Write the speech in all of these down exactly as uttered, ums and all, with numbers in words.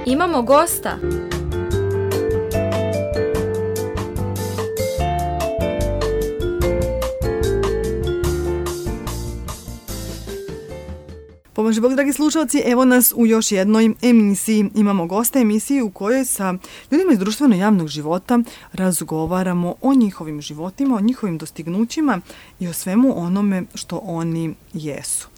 Imamo gosta. Pomaže Bog, dragi slušalci, evo nas u još jednoj emisiji. Imamo gosta emisiji u kojoj sa ljudima iz društveno javnog života razgovaramo o njihovim životima, o njihovim dostignućima i o svemu onome što oni jesu.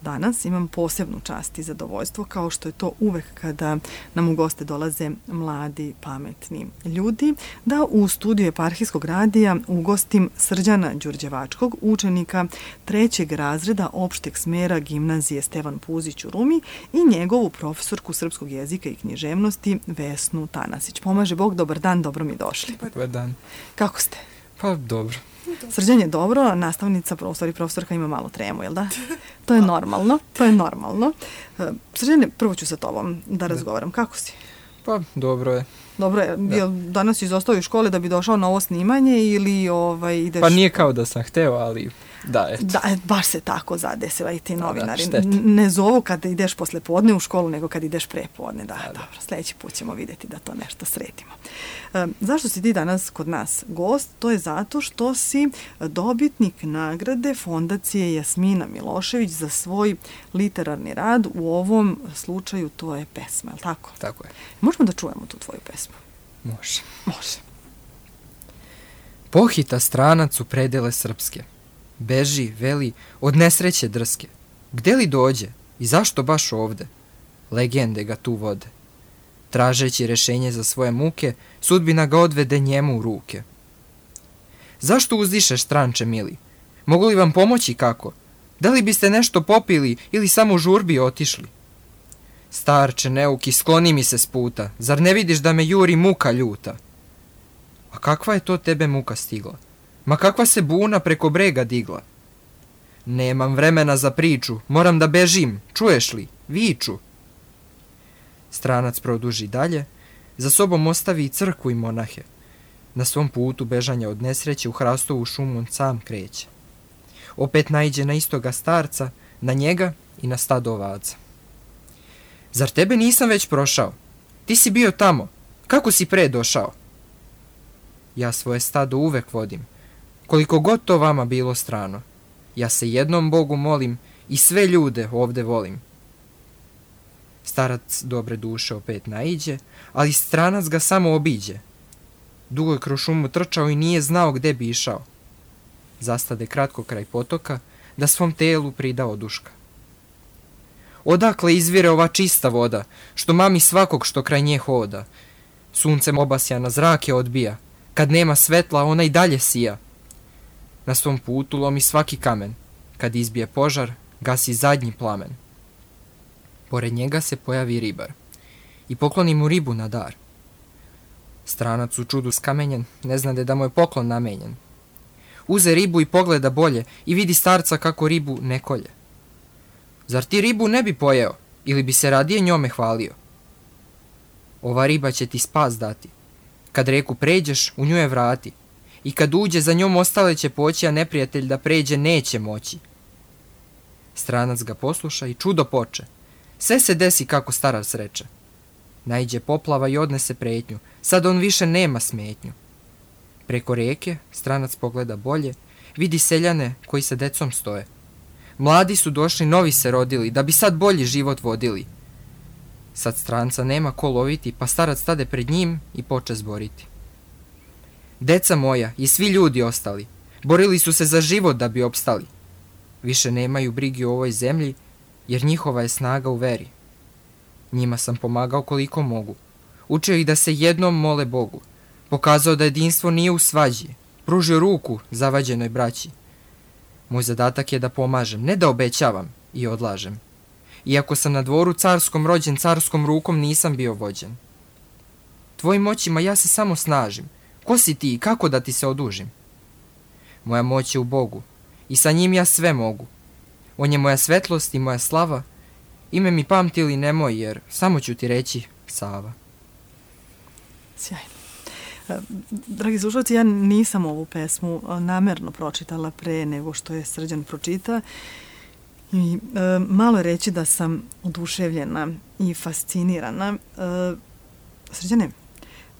Danas imam posebnu čast i zadovoljstvo, kao što je to uvek kada nam u goste dolaze mladi, pametni ljudi, da u studiju Eparhijskog radija ugostim Srđana Đurđevačkog, učenika trećeg razreda opšteg smera gimnazije Stevan Puzić u Rumi i njegovu profesorku srpskog jezika i književnosti Vesnu Tanasić. Pomaže Bog, dobar dan, dobro mi došli. Dobar dan. Kako ste? Pa dobro. Srđan je dobro, nastavnica, u stvari profesorka ima malo tremu, jel da? To je normalno, to je normalno. Srđane, prvo ću sa tobom da razgovaram. Kako si? Pa dobro je. Dobro je. Jel danas izostao iz škole da bi došao na ovo snimanje ili ovaj, ideš... Pa nije kao da sam hteo, ali da, eto. Da, baš se tako zadesila i ti novinari. Da, ne zovu kada ideš posle podne u školu, nego kad ideš pre podne. Da, da, dobro, sljedeći put ćemo vidjeti da to nešto sredimo. E, zašto si ti danas kod nas gost? To je zato što si dobitnik nagrade Fondacije Jasmina Milošević za svoj literarni rad. U ovom slučaju to je pesma, je li tako? Tako je. Možemo da čujemo tu tvoju pesmu? Može. Može. Pohita stranac u predele srpske. Beži, veli, od nesreće drske. Gde li dođe i zašto baš ovde? Legende ga tu vode. Tražeći rešenje za svoje muke, sudbina ga odvede njemu u ruke. Zašto uzdišeš, stranče mili? Mogu li vam pomoći kako? Da li biste nešto popili ili samo u žurbi otišli? Starče neuki, skloni mi se s puta, zar ne vidiš da me juri muka ljuta? A kakva je to tebe muka stigla? Ma kakva se buna preko brega digla? Nemam vremena za priču, moram da bežim, čuješ li? Viču. Stranac produži dalje, za sobom ostavi i crkvu i monahe. Na svom putu bežanja od nesreće u hrastovu šumu on sam kreće. Opet naiđe na istoga starca, na njega i na stado ovaca. Zar tebe nisam već prošao? Ti si bio tamo, kako si pre došao? Ja svoje stado uvek vodim, koliko god to vama bilo strano. Ja se jednom Bogu molim i sve ljude ovde volim. Starac dobre duše opet naiđe, ali stranac ga samo obiđe. Dugo je kroz šumu trčao i nije znao gde bi išao. Zastade kratko kraj potoka, da svom telu prida oduška. Odakle izvire ova čista voda, što mami svakog što kraj nje hoda? Suncem obasja na zrake odbija, kad nema svetla ona i dalje sija. Na svom putu lomi svaki kamen, kad izbije požar, gasi zadnji plamen. Pored njega se pojavi ribar i pokloni mu ribu na dar. Stranac u čudu skamenjen, ne znade da mu je poklon namenjen. Uze ribu i pogleda bolje i vidi starca kako ribu ne kolje. Zar ti ribu ne bi pojeo ili bi se radije njome hvalio? Ova riba će ti spas dati. Kad reku pređeš, u nju je vrati. I kad uđe, za njom ostale će poći, a neprijatelj da pređe neće moći. Stranac ga posluša i čudo poče. Sve se desi kako starac reče. Naiđe poplava i odnese pretnju. Sad on više nema smetnju. Preko reke stranac pogleda bolje, vidi seljane koji sa decom stoje. Mladi su došli, novi se rodili, da bi sad bolji život vodili. Sad stranca nema ko loviti, pa starac stade pred njim i poče zboriti. Deca moja i svi ljudi ostali, borili su se za život da bi opstali. Više nemaju brigi u ovoj zemlji, jer njihova je snaga u veri. Njima sam pomagao koliko mogu. Učio ih da se jednom mole Bogu. Pokazao da jedinstvo nije u svađi. Pružio ruku zavađenoj braći. Moj zadatak je da pomažem, ne da obećavam i odlažem. Iako sam na dvoru carskom rođen, carskom rukom nisam bio vođen. Tvojim moćima ja se samo snažim. Ko si ti i kako da ti se odužim? Moja moć je u Bogu i sa njim ja sve mogu. On je moja svetlost i moja slava. Ime mi pamti ili nemoj, jer samo ću ti reći Sava. Sjajno. Dragi slušalci, ja nisam ovu pesmu namerno pročitala pre nego što je Srđan pročita I e, malo reći da sam oduševljena i fascinirana. E, Srđane,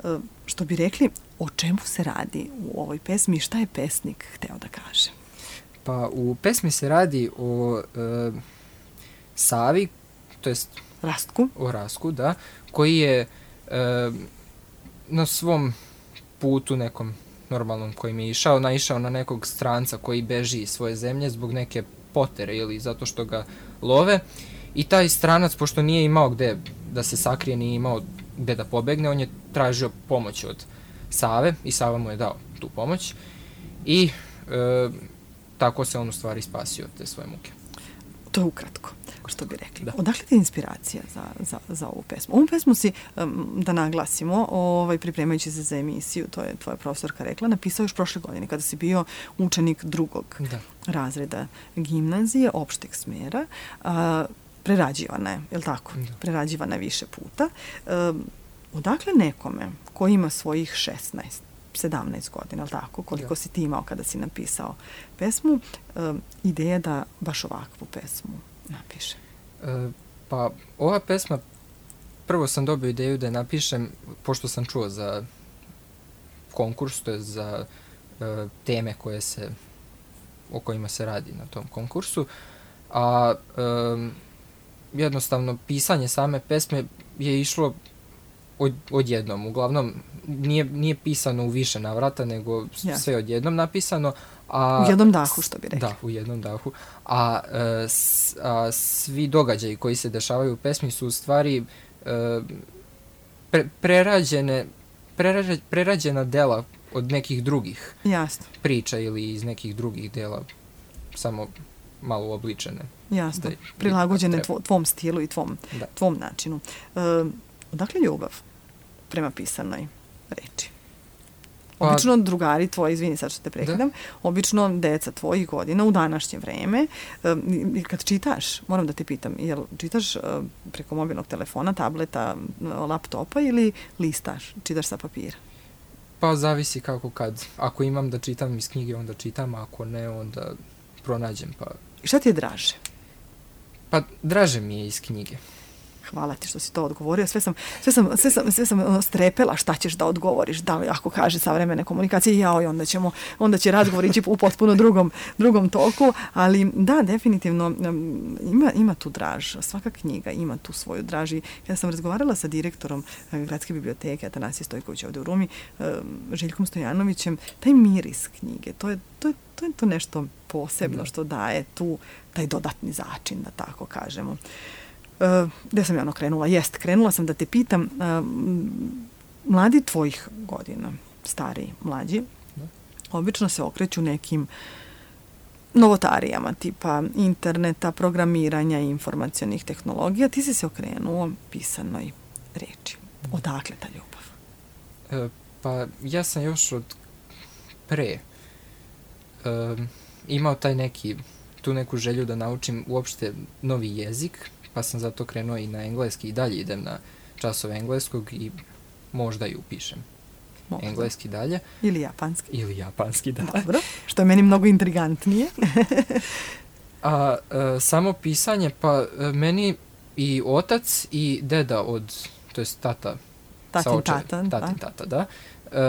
e, što bi rekli, o čemu se radi u ovoj pesmi i šta je pesnik hteo da kaže? Pa u pesmi se radi o e, Savi, to jest Rastku. O Rastku, da, koji je e, na svom putu nekom normalnom kojim je išao, naišao na nekog stranca koji beži iz svoje zemlje zbog neke potere ili zato što ga love. I taj stranac, pošto nije imao gde da se sakrije, nije imao gde da pobegne, on je tražio pomoć od Save i Sava mu je dao tu pomoć. I e, tako se on u stvari spasio od te svoje muke. To je ukratko, što bi rekli. Da. Odakle ti je inspiracija za, za, za ovu pesmu? Ovu pesmu si, um, da naglasimo, ovaj, pripremajući se za emisiju, to je tvoja profesorka rekla, napisao još prošle godine, kada si bio učenik drugog Da. razreda gimnazije, opšteg smjera. A, prerađivana je, je li tako? Da. Prerađivana je više puta. Um, odakle nekome ko ima svojih šesnaest, sedamnaest godina, ali tako, koliko Da. si ti imao kada si napisao pesmu, um, ideja da baš ovakvu pesmu napiše? E, pa ova pesma, prvo sam dobio ideju da je napišem, pošto sam čuo za konkurs, to je za e, teme koje se, o kojima se radi na tom konkursu, a e, jednostavno pisanje same pesme je išlo od, odjednom. Uglavnom, nije, nije pisano u više navrata, nego Ja. sve odjednom napisano. A, U jednom dahu, što bi rekli. Da, u jednom dahu. A, e, s, a svi događaji koji se dešavaju u pesmi su u stvari e, pre, prerađene, prerađe, prerađena dela od nekih drugih Jasno, priča ili iz nekih drugih dela, samo malo uobličene. jasno. Da, Prilagođene treba. tvo, tvom stilu i tvom, Da. tvom načinu. E, odakle ljubav prema pisanoj reči? Pa- Obično drugari tvoji, izvini sad što te prekidam, obično deca tvojih godina u današnje vreme, e, i kad čitaš, moram da te pitam, jel čitaš e, preko mobilnog telefona, tableta, laptopa ili listaš, čitaš sa papira? Pa zavisi kako kad. Ako imam da čitam iz knjige, onda čitam, a ako ne, onda pronađem. Pa, I šta ti je draže? pa draže mi je iz knjige. Hvala ti što si to odgovorio. Sve sam, sve sam, sve sam, sve sam ono, strepela šta ćeš da odgovoriš. Da li ako kaže savremene komunikacije, jao, i onda ćemo, onda će razgovor ići u potpuno drugom, drugom toku. Ali da, definitivno um, ima, ima tu draž. Svaka knjiga ima tu svoju draž. I kada sam razgovarala sa direktorom uh, Gradske biblioteke, Atanasije Stojković ovde u Rumi, um, Željkom Stojanovićem, taj miris knjige, to je, to je, to je to nešto posebno Da. što daje tu taj dodatni začin, da tako kažemo. Uh, gde sam ja ono krenula? Jest, krenula sam da te pitam, uh, mladi tvojih godina, stariji, mlađi, Da. obično se okreću nekim novotarijama, tipa interneta, programiranja i informacionih tehnologija. Ti si se okrenuo pisanoj reči. Odakle ta ljubav? E, pa ja sam još od pre e, imao taj neki, tu neku želju da naučim uopšte novi jezik, pa sam zato krenuo i na engleski i dalje idem na časove engleskog i možda i upišem Možda. engleski dalje. Ili japanski. Ili japanski, da. Dobro, što je meni mnogo intrigantnije. A e, samo pisanje, pa e, meni i otac i deda od, to jest tata, sa Tatin očevem, tata, da. tatin tata, da. E,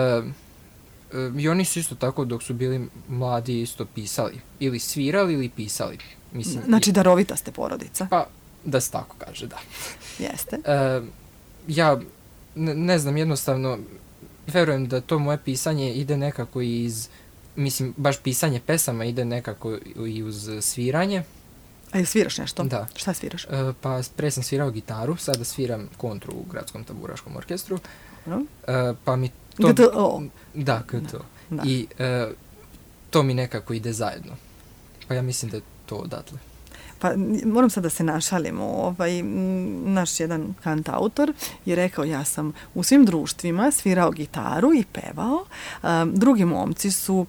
e, I oni su isto tako dok su bili mladi isto pisali. Ili svirali ili pisali. Mislim, Znači i- darovita ste porodica. pa da se tako kaže, da. Jeste. E, ja ne, ne znam, jednostavno verujem da to moje pisanje ide nekako iz, mislim, baš pisanje pesama ide nekako i uz sviranje. A jel sviraš nešto? Da. Šta sviraš? E, pa pre sam svirao gitaru, sada sviram kontru u Gradskom taburaškom orkestru. Dobro. E, pa mi to... G T O. Da, G T O. Da. I e, to mi nekako ide zajedno. Pa ja mislim da je to odatle. Pa n- moram sad da se našalimo. Ovaj, m, naš jedan kantautor je rekao, ja sam u svim društvima svirao gitaru i pevao. Um, drugi momci su um,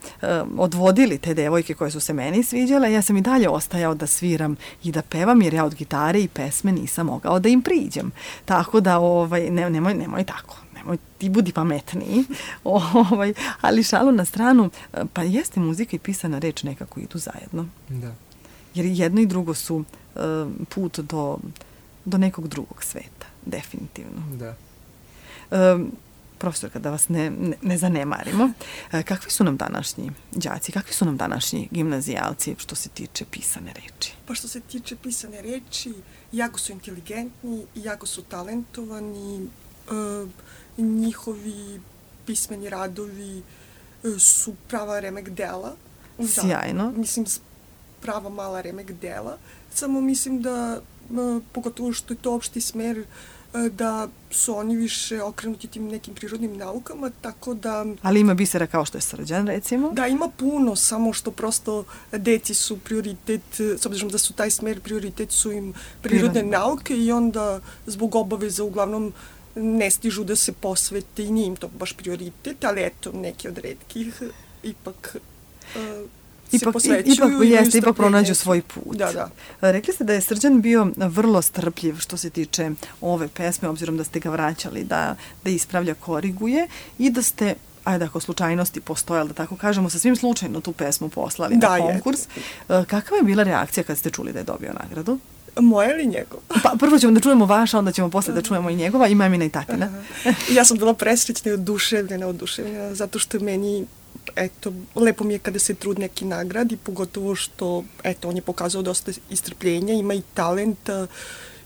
odvodili te devojke koje su se meni sviđale. Ja sam i dalje ostajao da sviram i da pevam, jer ja od gitare i pesme nisam mogao da im priđem. Tako da, ovaj, ne, nemoj, nemoj tako. Nemoj, ti budi pametniji. ovaj, ali šalu na stranu, pa jeste muzika i pisana reč nekako idu zajedno. Da. jer jedno i drugo su uh, put do, do nekog drugog sveta, definitivno. Da. Um, profesorka, da vas ne, ne, ne zanemarimo, e, kakvi su nam današnji đaci, kakvi su nam današnji gimnazijalci što se tiče pisane reči? Pa što se tiče pisane reči, jako su inteligentni, jako su talentovani, e, njihovi pismeni radovi e, su prava remek dela. Sjajno. Da, mislim, prava mala remek dela. Samo mislim da, e, pogotovo što je to opšti smer, da su oni više okrenuti tim nekim prirodnim naukama, tako da... Ali ima bisera kao što je Srđan, recimo? Da, ima puno, samo što prosto deci su prioritet, s obzirom da su taj smer prioritet, su im prirodne Prirodne. nauke i onda zbog obaveza uglavnom ne stižu da se posvete i nije im to baš prioritet, ali eto, neki od retkih ipak... Uh, Ipak, ipak, jeste, ipak pronađu svoj put. Da, da. Rekli ste da je Srđan bio vrlo strpljiv što se tiče ove pesme, obzirom da ste ga vraćali da, da ispravlja, koriguje i da ste, ajde ako slučajnosti postojali, da tako kažemo, sa svim slučajno tu pesmu poslali da, na konkurs. Je. Kakva je bila reakcija kad ste čuli da je dobio nagradu? Moja ili njegova? Pa prvo ćemo da čujemo vaša, onda ćemo posle da čujemo i njegova, i mamina i tatina. Ja sam bila presrećna i oduševljena, oduševljena, zato što je meni, eto, lepo mi je kada se trud neki nagradi, pogotovo što, eto, on je pokazao dosta istrpljenja, ima i talenta,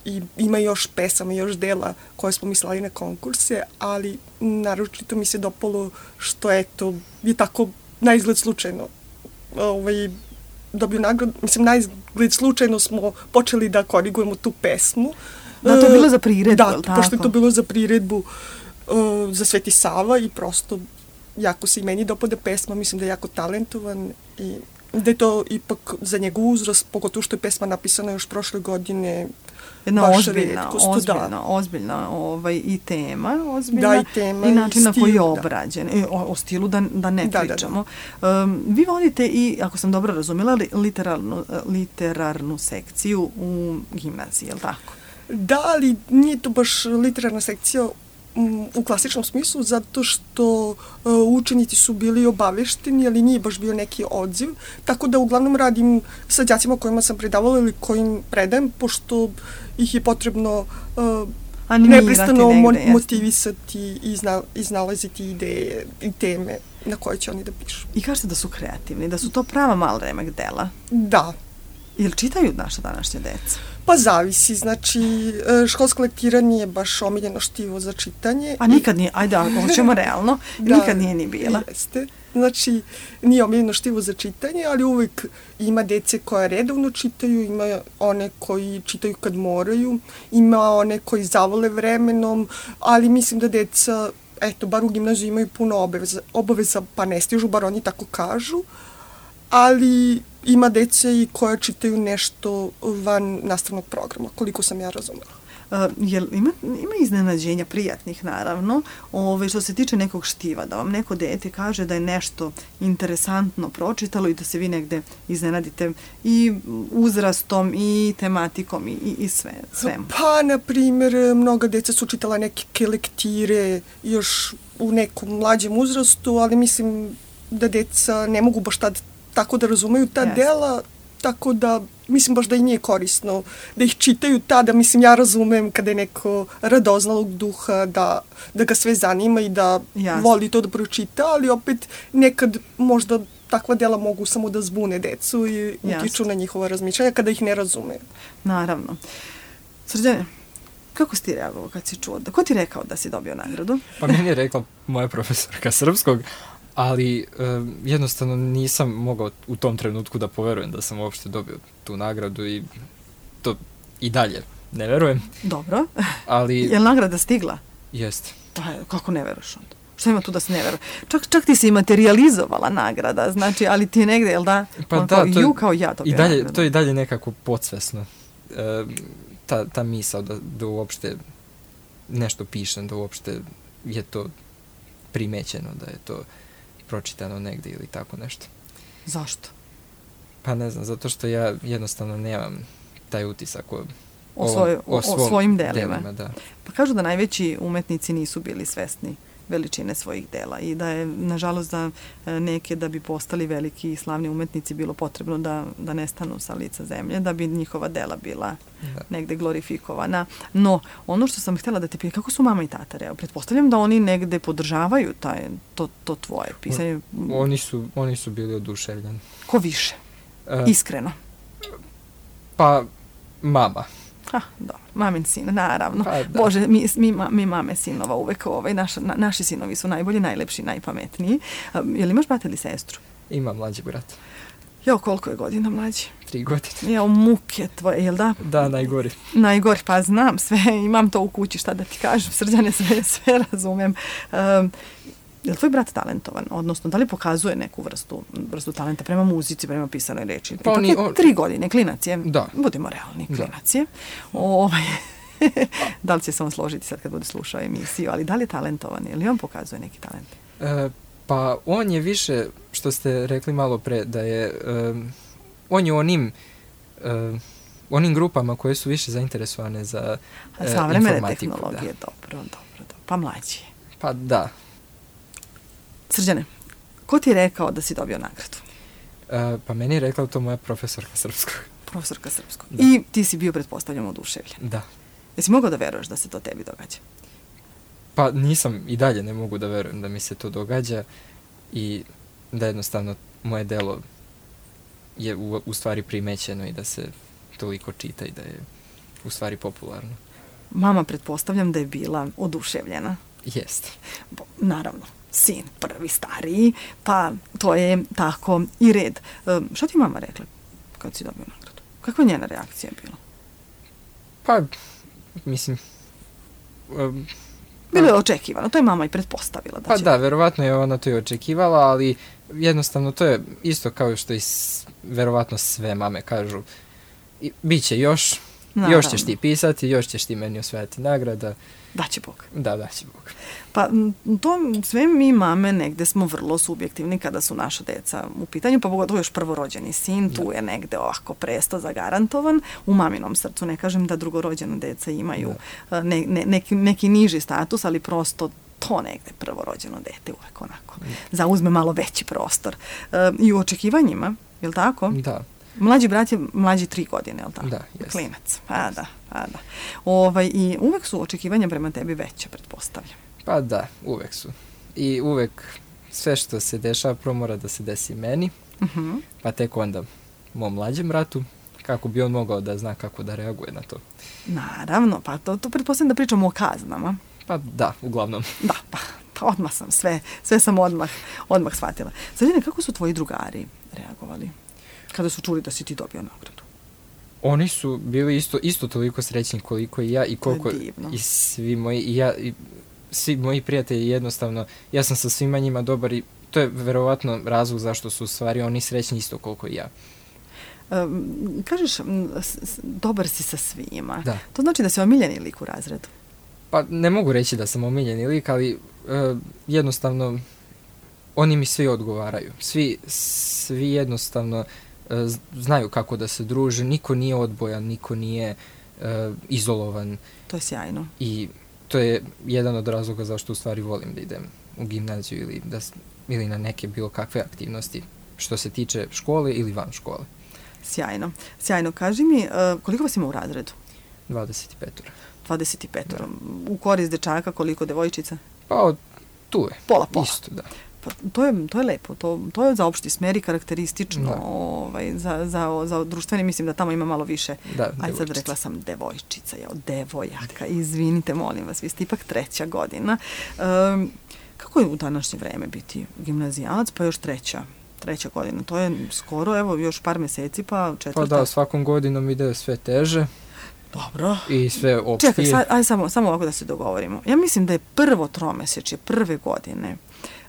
i ima još pesama, još dela koje smo mi slali na konkurse, ali naročito mi se dopalo što, eto, je tako naizgled slučajno ovaj, dobio nagradu. Mislim, naizgled slučajno smo počeli da korigujemo tu pesmu. Da, to je bilo za priredbu, da, tako? pošto je to bilo za priredbu uh, za Sveti Sava i prosto jako se i meni dopada pesma, mislim da je jako talentovan i da je to ipak za njegov uzrast, pogotovo što je pesma napisana još prošle godine. Jedna ozbiljna, ozbiljna, da. ozbiljna ovaj, i tema, ozbiljna, da, i, tema, i način i na stil, koji je da. obrađen. E, o, o stilu da, da ne da, pričamo. Da, da. Um, vi vodite i, ako sam dobro razumela, literarnu, literarnu sekciju u gimnaziji, je li tako? Da, ali nije to baš literarna sekcija u klasičnom smislu, zato što uh, učenici su bili obavešteni, ali nije baš bio neki odziv, tako da uglavnom radim sa đacima kojima sam predavala ili kojim predajem, pošto ih je potrebno uh, neprestano mo- motivisati i izna- iznalaziti ideje i teme na koje će oni da pišu. I kažete da su kreativni, da su to prava mala remek dela? Da. Jel čitaju naša današnja deca? Pa zavisi, znači školsko lektiranje je baš omiljeno štivo za čitanje. A nikad nije, ajde, ako hoćemo realno, da, nikad nije ni bila. Jeste, znači nije omiljeno štivo za čitanje, ali uvek ima dece koje redovno čitaju, ima one koji čitaju kad moraju, ima one koji zavole vremenom, ali mislim da deca, eto, bar u gimnaziju imaju puno obaveza, obaveza pa ne stižu, bar oni tako kažu, ali ima dece i koja čitaju nešto van nastavnog programa, koliko sam ja razumela. Uh, jel ima, ima iznenađenja, prijatnih naravno, ove, što se tiče nekog štiva, da vam neko dete kaže da je nešto interesantno pročitalo i da se vi negde iznenadite i uzrastom i tematikom i, i, i sve, svemu? Pa, na primjer, mnoga deca su čitala neke lektire još u nekom mlađem uzrastu, ali mislim da deca ne mogu baš tad tako da razumeju ta yes. dela, tako da mislim baš da i nije korisno da ih čitaju tada. Mislim, ja razumem kada je neko radoznalog duha, da, da ga sve zanima i da yes. voli to da pročita, ali opet nekad možda takva dela mogu samo da zbune decu i yes. utiču na njihova razmišljanja kada ih ne razume. Naravno. Srđane, kako si ti reagovao kad si čuo? Ko ti rekao da si dobio nagradu? Pa meni je rekla moja profesorka srpskog, ali um, jednostavno nisam mogao u tom trenutku da poverujem da sam uopšte dobio tu nagradu i to i dalje ne verujem. Dobro. Ali... Je li nagrada stigla? Jeste. Pa kako ne veruješ onda? Šta ima tu da se ne veruje? Čak, čak ti si i materializovala nagrada, znači, ali ti je negde, jel da? Pa on da, kao, to, ju kao ja dobio i dalje, nagradu. to je i dalje nekako podsvesno. E, ta, ta misao da, da uopšte nešto pišem, da uopšte je to primećeno, da je to pročitano negde ili tako nešto. Zašto? Pa ne znam, zato što ja jednostavno nemam taj utisak o, o, svoj, o, o, svom o svojim delima. delima da. Pa kažu da najveći umetnici nisu bili svesni veličine svojih dela i da je, nažalost, za neke da bi postali veliki i slavni umetnici bilo potrebno da, da nestanu sa lica zemlje, da bi njihova dela bila da. negde glorifikovana. No, ono što sam htjela da te pitam, kako su mama i tata? Evo, pretpostavljam da oni negde podržavaju taj, to, to tvoje pisanje. Oni su, oni su bili oduševljeni. Ko više? E, Iskreno. Pa, mama. Ha, dobro, mamin sin, naravno. Pa, Bože, mi, mi, mi mame sinova uvek, ovaj, naš, na, naši sinovi su najbolji, najlepši, najpametniji. Um, je li imaš brata ili sestru? Imam mlađi brat. Jo, koliko je godina mlađi? Tri godine. Jo, muke tvoje, jel da? Da, najgori. Najgori, pa znam sve, imam to u kući, šta da ti kažem, Srđane, sve, sve razumem. Um, je li tvoj brat talentovan? Odnosno, da li pokazuje neku vrstu, vrstu talenta prema muzici, prema pisanoj reči? Pa oni, je tri godine, klinac je. Da. Budemo realni, klinac je. Ovaj, da li će se on složiti sad kad bude slušao emisiju, ali da li je talentovan? Je li on pokazuje neki talent? E, pa on je više, što ste rekli malo pre, da je, um, on je onim, um, onim grupama koje su više zainteresovane za uh, savremene informatiku. Tehnologije, da. dobro, dobro, dobro. Pa mlađi je. Pa da. Srđane, ko ti je rekao da si dobio nagradu? Uh, pa meni je rekla to moja profesorka srpskog. Profesorka srpskog. Da. I ti si bio, pretpostavljamo, oduševljen. Da. Jesi mogao da veruješ da se to tebi događa? Pa nisam, i dalje ne mogu da verujem da mi se to događa i da jednostavno moje delo je u, u stvari primećeno i da se toliko čita i da je u stvari popularno. Mama, pretpostavljam da je bila oduševljena. Jeste. Naravno. Sin, prvi, stariji, pa to je tako i red. Um, šta ti mama rekla kad si dobio nagradu? Kakva je njena reakcija bila? Pa, mislim... Um, Bilo je očekivano, to je mama i pretpostavila. Da pa će... da, verovatno je ona to i očekivala, ali jednostavno to je isto kao što i s, verovatno sve mame kažu. I, biće još, naravno. Još ćeš ti pisati, još ćeš ti meni osvajati nagrada. Daće Bog. Da, daće Bog. Pa to sve mi mame negde smo vrlo subjektivni kada su naša deca u pitanju, pa pogotovo još prvorođeni sin, tu je negde ovako presto zagarantovan. U maminom srcu ne kažem da drugorođena deca imaju ne, ne, neki, neki niži status, ali prosto to negde prvorođeno dete uvek onako zauzme malo veći prostor. E, I u očekivanjima, je li tako? Da. Mlađi brat je mlađi tri godine, je li tako? Da, jeste. Klinac, pa da, pa da. Ovaj, i uvek su očekivanja prema tebi veće, pretpostavljam. Pa da, uvek su. I uvek sve što se dešava prvo mora da se desi meni, uh-huh. pa tek onda mom mlađem bratu, kako bi on mogao da zna kako da reaguje na to. Naravno, pa to, to pretpostavljam da pričamo o kaznama. Pa da, uglavnom. Da, pa, pa odmah sam sve, sve sam odmah, odmah shvatila. Srđane, kako su tvoji drugari reagovali kada su čuli da si ti dobio nagradu? Oni su bili isto, isto toliko srećni koliko i ja i koliko i svi moji, i ja, i svi moji prijatelji jednostavno, ja sam sa svima njima dobar i to je verovatno razlog zašto su u stvari oni srećni isto koliko i ja. Um, kažeš, s, s, dobar si sa svima. Da. To znači da si omiljeni lik u razredu? Pa ne mogu reći da sam omiljeni lik, ali uh, jednostavno oni mi svi odgovaraju. Svi, svi jednostavno uh, znaju kako da se druže, niko nije odbojan, niko nije uh, izolovan. To je sjajno. I to je jedan od razloga zašto u stvari volim da idem u gimnaziju ili, da, ili na neke bilo kakve aktivnosti što se tiče škole ili van škole. Sjajno. Sjajno. Kaži mi, uh, koliko vas ima u razredu? dvadeset pet. dvadeset pet. Da. U korist dečaka, koliko devojčica? Pa tu je. Pola, pola. Isto, da. Pa, to, je, to je lepo. To, to je za opšti smer i karakteristično ovaj, za, za, za društveni. Mislim da tamo ima malo više. Da, ajde sad rekla sam devojčica, ja, devojaka. Izvinite, molim vas, vi ste ipak treća godina. Um, kako je u današnje vreme biti gimnazijalac, pa još treća? Treća godina. To je skoro, evo, još par meseci, pa četvrta. Pa da, svakom godinom ide sve teže. Dobro. I sve opštije. Čekaj, sad, ajde samo, samo ovako da se dogovorimo. Ja mislim da je prvo tromesečje, prve godine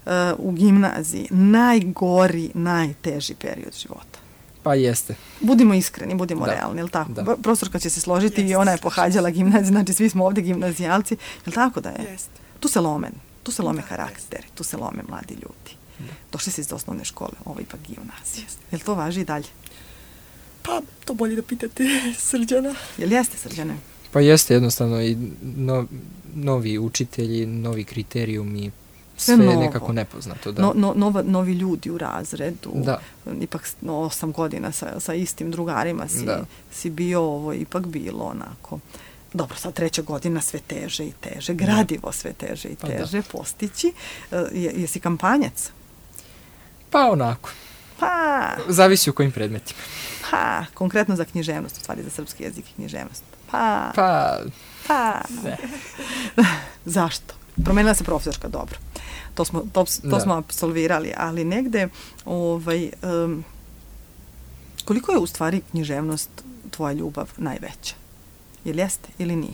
uh, u gimnaziji najgori, najteži period života. Pa jeste. Budimo iskreni, budimo da. realni, jel tako? Da. Profesorka će se složiti Jest. I ona je pohađala gimnaziju, znači svi smo ovdje gimnazijalci. Jel tako da je? Jest. Tu se lome, tu se lome da, karakteri, jest. Tu se lome mladi ljudi. Da. Došli si iz osnovne škole, ovo ipak gimnazija. Jel to važi i dalje? Pa, to bolje da pitate Srđana. Jel jeste, Srđane? Pa jeste jednostavno i no, novi učitelji, novi kriterijumi, sve je nekako nepoznato. Da. No, no, nova, novi ljudi u razredu, da. ipak no, osam godina sa, sa istim drugarima si, si bio, ovo ipak bilo onako. Dobro, sad treća godina sve teže i teže, gradivo sve teže i teže pa postići. Je, jesi kampanjac? Pa onako. Pa... Zavisi u kojim predmetima. Pa, konkretno za književnost, u stvari za srpski jezik i književnost. Pa... Pa... Pa... Ne. Zašto? Promenila se profesorka, dobro. To smo, to, to smo apsolvirali, ali negde ovaj, um, koliko je u stvari književnost tvoja ljubav najveća? Jel jeste ili nije?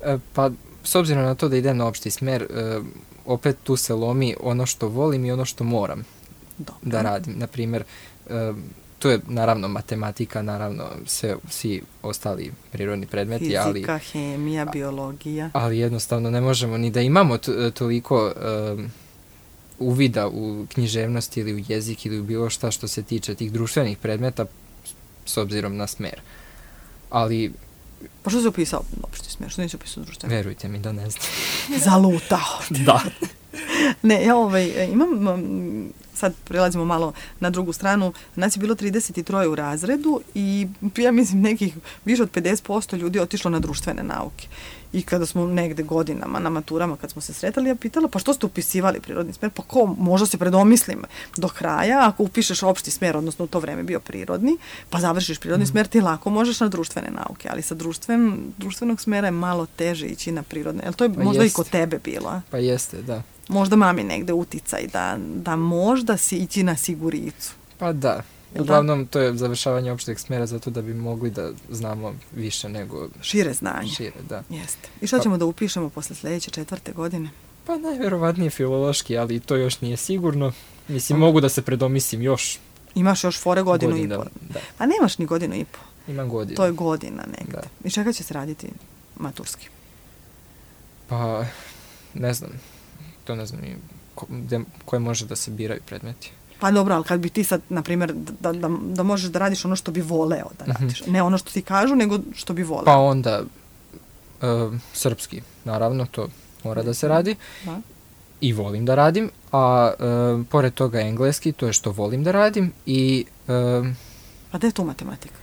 E, pa, s obzirom na to da idem na opšti smer, e, opet tu se lomi ono što volim i ono što moram Dobro. da radim. Naprimjer, e, tu je naravno matematika, naravno sve, svi ostali prirodni predmeti. Fizika, ali, hemija, biologija. Ali jednostavno ne možemo ni da imamo t- toliko e, uvida u književnost ili u jezik ili u bilo šta što se tiče tih društvenih predmeta s obzirom na smer. Ali... Pa što si upisao opšti smer? Što nisi upisao društveno? Verujte mi da ne znam. Zalutao. Da. Ne, ja ovaj, imam, sad prelazimo malo na drugu stranu, nas je bilo trideset troje u razredu i ja mislim nekih više od pedeset posto ljudi otišlo na društvene nauke. I kada smo negde godinama na maturama, kad smo se sretali, ja pitala, pa što ste upisivali prirodni smer? Pa ko, možda se predomislim do kraja, ako upišeš opšti smer, odnosno u to vreme bio prirodni, pa završiš prirodni mm. smer, ti lako možeš na društvene nauke, ali sa društven, društvenog smera je malo teže ići na prirodne. Jel to je pa možda jeste. I kod tebe bilo? A? Pa jeste, da. Možda mami negde uticaj da, da možda si ići na siguricu. Pa da. Uglavnom, to je završavanje opšteg smera zato da bi mogli da znamo više nego... Šire znanje. Šire, da. Jeste. I šta ćemo pa, da upišemo posle sljedeće četvrte godine? Pa najverovatnije filološki, ali to još nije sigurno. Mislim, mogu da se predomislim još. Imaš još fore godinu godina, i po. Da. A nemaš ni godinu i po. Imam godinu. To je godina negde. Da. I čega će se raditi maturski? Pa, ne znam. To ne znam ni ko, de, koje može da se biraju predmeti. Pa dobro, ali kad bi ti sad, na primjer, da, da, da možeš da radiš ono što bi voleo da radiš. Mm-hmm. Ne ono što ti kažu, nego što bi voleo. Pa onda, uh, srpski, naravno, to mora da se radi. Da. I volim da radim. A uh, pored toga engleski, to je što volim da radim. I... Uh, a gde je tu matematika?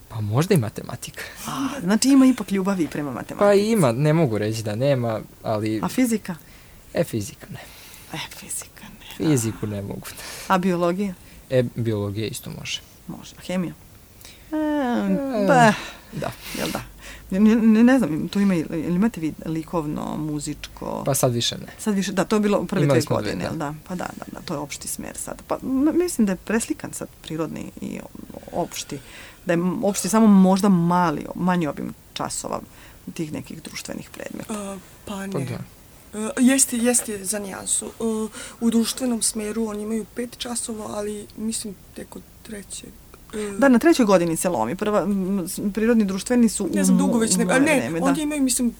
Pa možda i matematika. A, znači ima ipak ljubavi prema matematici. Pa ima, ne mogu reći da nema, ali... A fizika? E, fizika ne. E, fizika ne. Fiziku ne mogu. A biologija? E, biologija isto može. Može. A hemija? E, ba. Da. Jel da? Ne, ne, ne znam, tu ima, ili imate vi likovno, muzičko? Pa sad više ne. Sad više, da, to je bilo prve Imali dve godine, jel da? Pa da, da, da, to je opšti smer sad. Pa mislim da je preslikan sad prirodni i opšti. Da je opšti samo možda mali, manji obim časova tih nekih društvenih predmeta. Uh, pa ne. Pa da. Uh, jeste, jeste za nijansu. Uh, u društvenom smeru oni imaju pet časova, ali mislim tek od trećeg. Uh, da, na trećoj godini se lomi. Prva, m, prirodni društveni su... Ne znam, dugo već ne... A ne, vreme, onda da. imaju, mislim,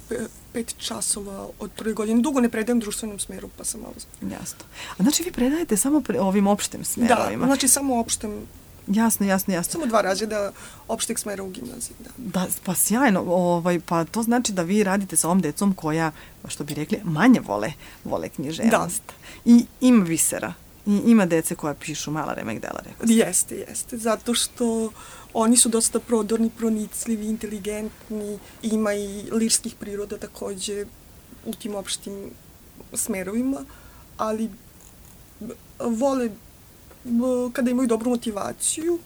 pet časova od prve godine. Dugo ne predajem društvenom smeru, pa sam malo... Jasno. A znači vi predajete samo pre, ovim opštim smerovima? Da, znači samo opštem... Jasno, jasno, jasno. Samo dva razreda opšteg smera u gimnaziji, da. Da, pa sjajno, ovaj, pa to znači da vi radite sa ovom decom koja, što bi rekli, manje vole, vole književnost. Da. I ima visera. I ima dece koja pišu mala remek dela, rekao sam. Jeste, jeste, zato što oni su dosta prodorni, pronicljivi, inteligentni, ima i lirskih priroda takođe u tim opštim smerovima, ali vole kada imaju dobru motivaciju,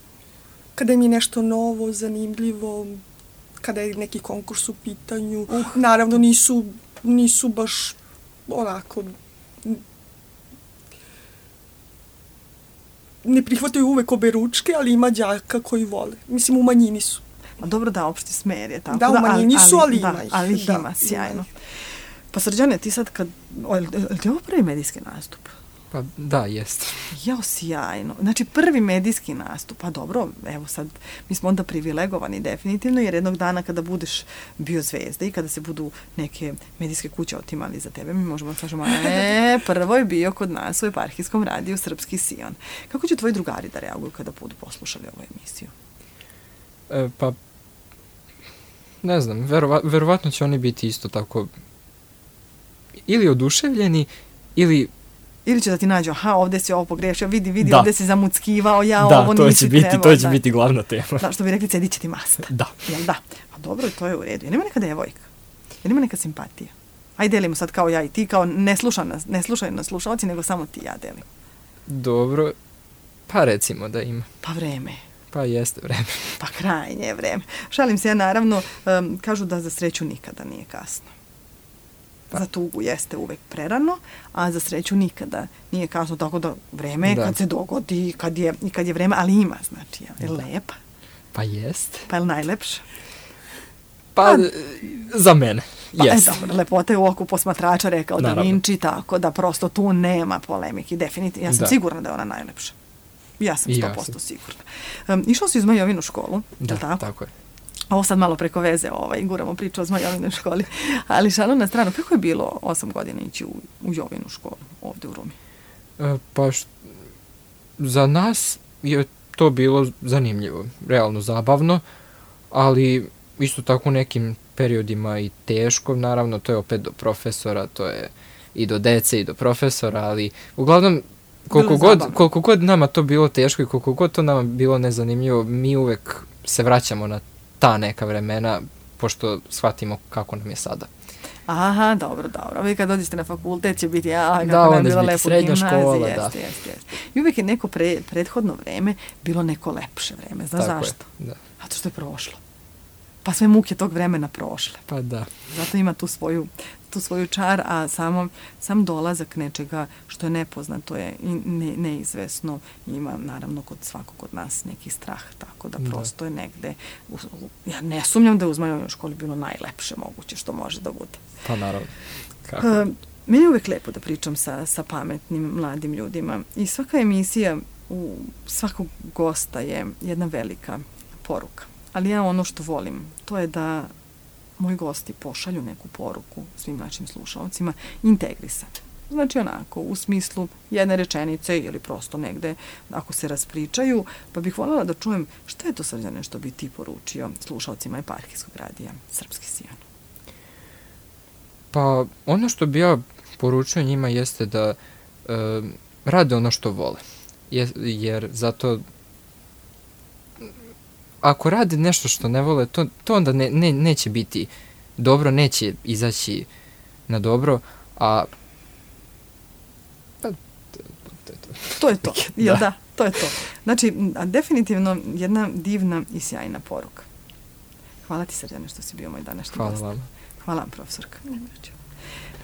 kada im je nešto novo, zanimljivo, kada je neki konkurs u pitanju. Uh. Naravno, nisu, nisu baš onako... Ne prihvataju uvek obe ručke, ali ima đaka koji vole. Mislim, u manjini su. A dobro da, opšti smer je tako. Da, u manjini su, ali ima da, ih. Ali ih da, ima, sjajno. Pa Srđane, ti sad kad... O, je li ti ovo prvi medijski nastup? Pa da, jeste. Jao, sjajno. Znači, prvi medijski nastup. Pa dobro, evo sad, mi smo onda privilegovani definitivno, jer jednog dana kada budeš bio zvezda i kada se budu neke medijske kuće otimali za tebe, mi možemo da kažemo, e, prvo je bio kod nas u Eparhijskom radiju Srpski Sion. Kako će tvoji drugari da reaguju kada budu poslušali ovu emisiju? E, pa, ne znam, verova, verovatno će oni biti isto tako ili oduševljeni, ili Ili će da ti nađu, aha, ovdje si ovo pogrešio, vidi, vidi, da. ovdje si zamuckivao, ja da, ovo to nisi će biti, trebao. to će da. biti glavna tema. Da, što bi rekli, cedit će ti masta. Da. Jel da? A dobro, to je u redu. Jel ima neka devojka? Jel ima neka simpatija? Ajde, delimo sad kao ja i ti, kao ne, sluša nas, ne slušaju nas slušalci, nego samo ti ja delim. Dobro, pa recimo da ima. Pa vreme. Pa jeste vreme. Pa krajnje je vreme. Šalim se ja, naravno, um, kažu da za sreću nikada nije kasno. Pa. Za tugu jeste uvek prerano, a za sreću nikada nije kasno, tako da vreme je kad se dogodi, kad je, kad je vreme, ali ima, znači, je li lepa? Pa jeste. Pa je li najlepša? Pa, pa za mene, pa, jeste. E, dobro, lepota je u oku posmatrača, rekao Da Vinci, tako da prosto tu nema polemiki, definitivno. Ja sam da. sigurna da je ona najlepša. Ja sam sto posto ja sigurna. Um, išao si u Zmajovinu školu, da, tako? tako je. Ovo sad malo preko veze, ovaj, guramo priču o Zmajovinoj školi. Ali šalu na stranu, kako je bilo osam godina ići u, u Jovinu školu ovdje u Rumi? E, pa št, za nas je to bilo zanimljivo, realno zabavno, ali isto tako u nekim periodima i teško, naravno to je opet do profesora, to je i do dece i do profesora, ali uglavnom koliko god, koliko god nama to bilo teško i koliko god to nama bilo nezanimljivo, mi uvek se vraćamo na ta neka vremena, pošto shvatimo kako nam je sada. Aha, dobro, dobro. Vi kad dođete na fakultet će biti, ja, kako da, nam je bilo lepo srednja škola, jeste, da. Jeste, jeste, jeste. I uvijek je neko pre, prethodno vreme bilo neko lepše vreme. Znaš tako zašto? Je, da. Zato što je prošlo. Pa sve muke tog vremena prošle. Pa da. Zato ima tu svoju, tu svoju čar, a samo, sam dolazak nečega što je nepoznato je i ne, neizvesno. Ima, naravno, kod svakog od nas neki strah, tako da, da. prosto je negde. U, u, ja ne sumnjam da je u Zmajovoj školi bilo najlepše moguće što može da bude. Pa naravno. Kako? Uh, meni je uvek lepo da pričam sa, sa pametnim mladim ljudima i svaka emisija u svakog gosta je jedna velika poruka. Ali ja ono što volim, to je da moji gosti pošalju neku poruku svim našim slušalcima integrisane. Znači onako, u smislu jedne rečenice ili prosto negde ako se raspričaju, pa bih voljela da čujem šta je to, Srđane, što bi ti poručio slušalcima Eparhijskog radija Srpski Sijan. Pa ono što bi ja poručio njima jeste da e, rade ono što vole. Je, jer zato ako rade nešto što ne vole, to, to onda ne, ne, neće biti dobro, neće izaći na dobro, a pa, to, to, to. to je to, jel da. da, to je to. Znači, a definitivno jedna divna i sjajna poruka. Hvala ti, Srđane, što si bio moj današnji Hvala gost. vam. Hvala vam, profesorka.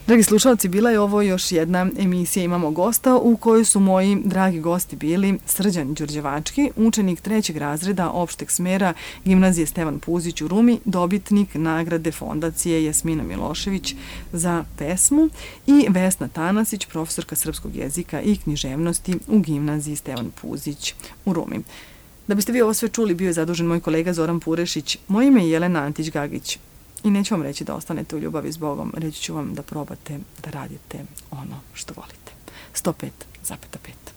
Dragi slušalci, bila je ovo još jedna emisija Imamo gosta u kojoj su moji dragi gosti bili Srđan Đurđevački, učenik trećeg razreda opšteg smera Gimnazije Stevan Puzić u Rumi, dobitnik nagrade Fondacije Jasmina Milošević za pesmu, i Vesna Tanasić, profesorka srpskog jezika i književnosti u Gimnaziji Stevan Puzić u Rumi. Da biste vi ovo sve čuli, bio je zadužen moj kolega Zoran Purešić. Moje ime je Jelena Antić-Gagić. I neću vam reći da ostanete u ljubavi s Bogom, reći ću vam da probate da radite ono što volite. sto pet zarez pet